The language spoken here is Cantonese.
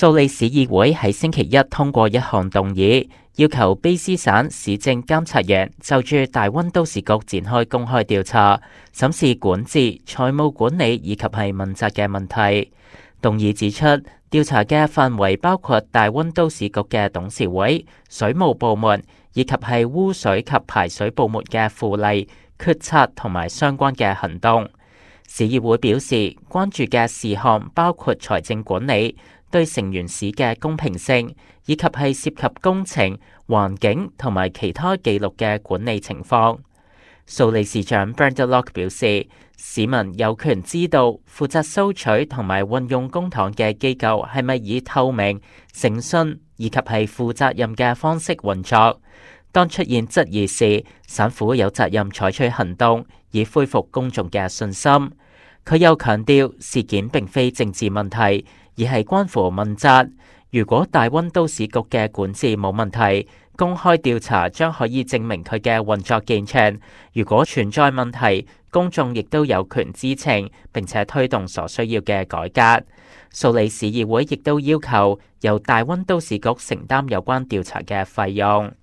蘇里市議會喺星期一通過一項動議，要求卑斯省市政監察員就住大溫都市局展開公開調查，審視管治、財務管理以及係問責嘅問題。動議指出，調查嘅範圍包括大溫都市局嘅董事會、水務部門以及係污水及排水部門嘅附例、決策同埋相關嘅行動。市議會表示，關注嘅事項包括財政管理、對成員市嘅公平性，以及係涉及工程、環境同埋其他記錄嘅管理情況。蘇里市長 Brenda Locke 表示，市民有權知道負責收取同埋運用公帑嘅機構係咪以透明、誠信以及係負責任嘅方式運作。當出現質疑時，省府有責任採取行動，以恢復公眾嘅信心。佢又強調，事件並非政治問題，而係關乎問責。如果大溫都市局嘅管治冇問題，公開調查將可以證明佢嘅運作健全。如果存在問題，公眾亦都有權知情，並且推動所需要嘅改革。蘇里市議會亦都要求由大溫都市局承擔有關調查嘅費用。